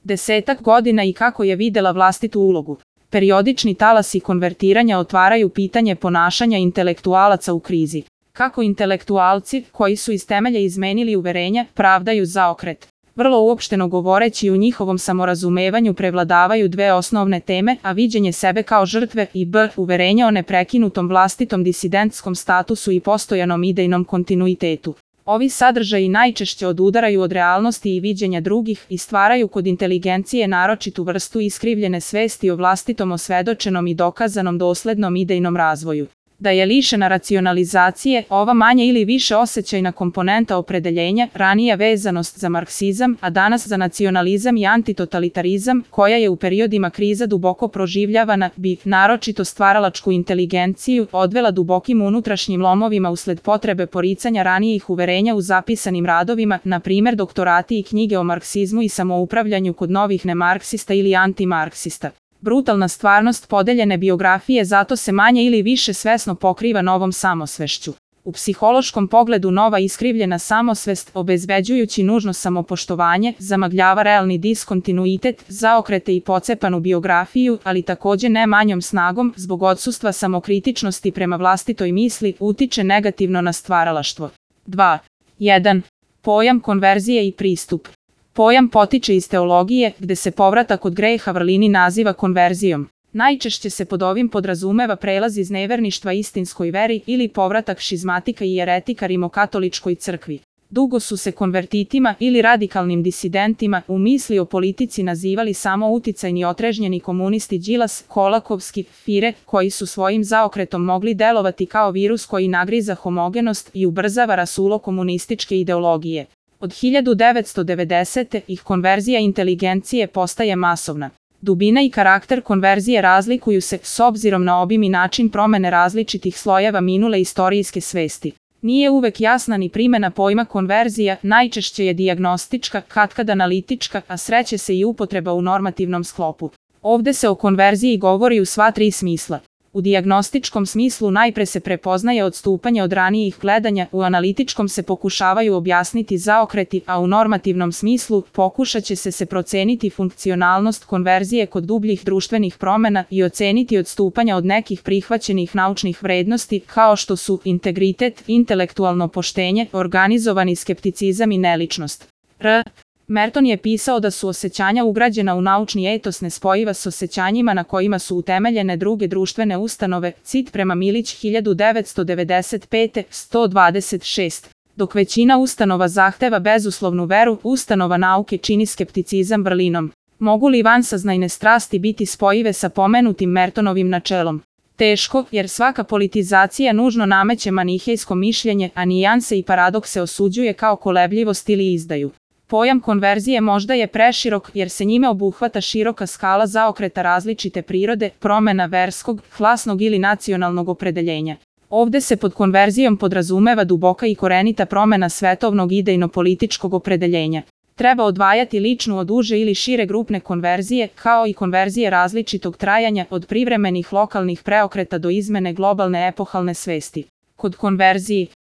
10 godina i kako je videla vlastitu ulogu. Periodični talasi konvertiranja otvaraju pitanje ponašanja intelektualaca u krizi. Kako intelektualci, koji su iz temelja izmenili uverenja, pravdaju zaokret. Vrlo uopšteno govoreći, u njihovom samorazumevanju prevladavaju dve osnovne teme, a viđenje sebe kao žrtve i uverenje o neprekinutom vlastitom disidentskom statusu i postojanom idejnom kontinuitetu. Ovi sadržaji najčešće odudaraju od realnosti i viđenja drugih i stvaraju kod inteligencije naročitu vrstu iskrivljene svesti o vlastitom osvedočenom i dokazanom doslednom idejnom razvoju. Da je lišena racionalizacije, ova manje ili više osjećajna komponenta opredeljenja, ranija vezanost za marksizam, a danas za nacionalizam i antitotalitarizam, koja je u periodima kriza duboko proživljavana, bi, naročito stvaralačku inteligenciju, odvela dubokim unutrašnjim lomovima usled potrebe poricanja ranijih uverenja u zapisanim radovima, na primjer doktorati i knjige o marksizmu i samoupravljanju kod novih nemarksista ili antimarksista. Brutalna stvarnost podeljene biografije zato se manje ili više svesno pokriva novom samosvešću. U psihološkom pogledu nova iskrivljena samosvest, obezbeđujući nužno samopoštovanje, zamagljava realni diskontinuitet, zaokrete i pocepanu biografiju, ali također ne manjom snagom, zbog odsustva samokritičnosti prema vlastitoj misli, utiče negativno na stvaralaštvo. 2. 1. Pojam konverzije i pristup. Pojam potiče iz teologije, gde se povratak od greha vrlini naziva konverzijom. Najčešće se pod ovim podrazumeva prelaz iz neverništva istinskoj veri ili povratak šizmatika i jeretika rimokatoličkoj crkvi. Dugo su se konvertitima ili radikalnim disidentima u misli o politici nazivali samo uticajni otrežnjeni komunisti Đilas, Kolakovski, Fire, koji su svojim zaokretom mogli delovati kao virus koji nagriza homogenost i ubrzava rasulo komunističke ideologije. Od 1990. ih konverzija inteligencije postaje masovna. Dubina i karakter konverzije razlikuju se s obzirom na obim i način promene različitih slojeva minule istorijske svesti. Nije uvek jasna ni primjena pojma konverzija, najčešće je dijagnostička, katkad analitička, a sreće se i upotreba u normativnom sklopu. Ovde se o konverziji govori u sva tri smisla. U dijagnostičkom smislu najpre se prepoznaje odstupanje od ranijih gledanja, u analitičkom se pokušavaju objasniti zaokreti, a u normativnom smislu pokušat će se proceniti funkcionalnost konverzije kod dubljih društvenih promjena i oceniti odstupanja od nekih prihvaćenih naučnih vrednosti, kao što su integritet, intelektualno poštenje, organizovani skepticizam i neličnost. Merton je pisao da su osjećanja ugrađena u naučni etos nespojiva s osjećanjima na kojima su utemeljene druge društvene ustanove, cit prema Milić 1995. 126. Dok većina ustanova zahteva bezuslovnu veru, ustanova nauke čini skepticizam vrlinom. Mogu li vansaznajne strasti biti spojive sa pomenutim Mertonovim načelom? Teško, jer svaka politizacija nužno nameće manihejsko mišljenje, a nijanse i paradokse osuđuje kao kolebljivost ili izdaju. Pojam konverzije možda je preširok, jer se njime obuhvata široka skala zaokreta različite prirode, promjena verskog, klasnog ili nacionalnog opredeljenja. Ovde se pod konverzijom podrazumeva duboka i korenita promjena svetovnog idejno-političkog opredeljenja. Treba odvajati ličnu od uže ili šire grupne konverzije, kao i konverzije različitog trajanja, od privremenih lokalnih preokreta do izmene globalne epohalne svesti. Kod konverziji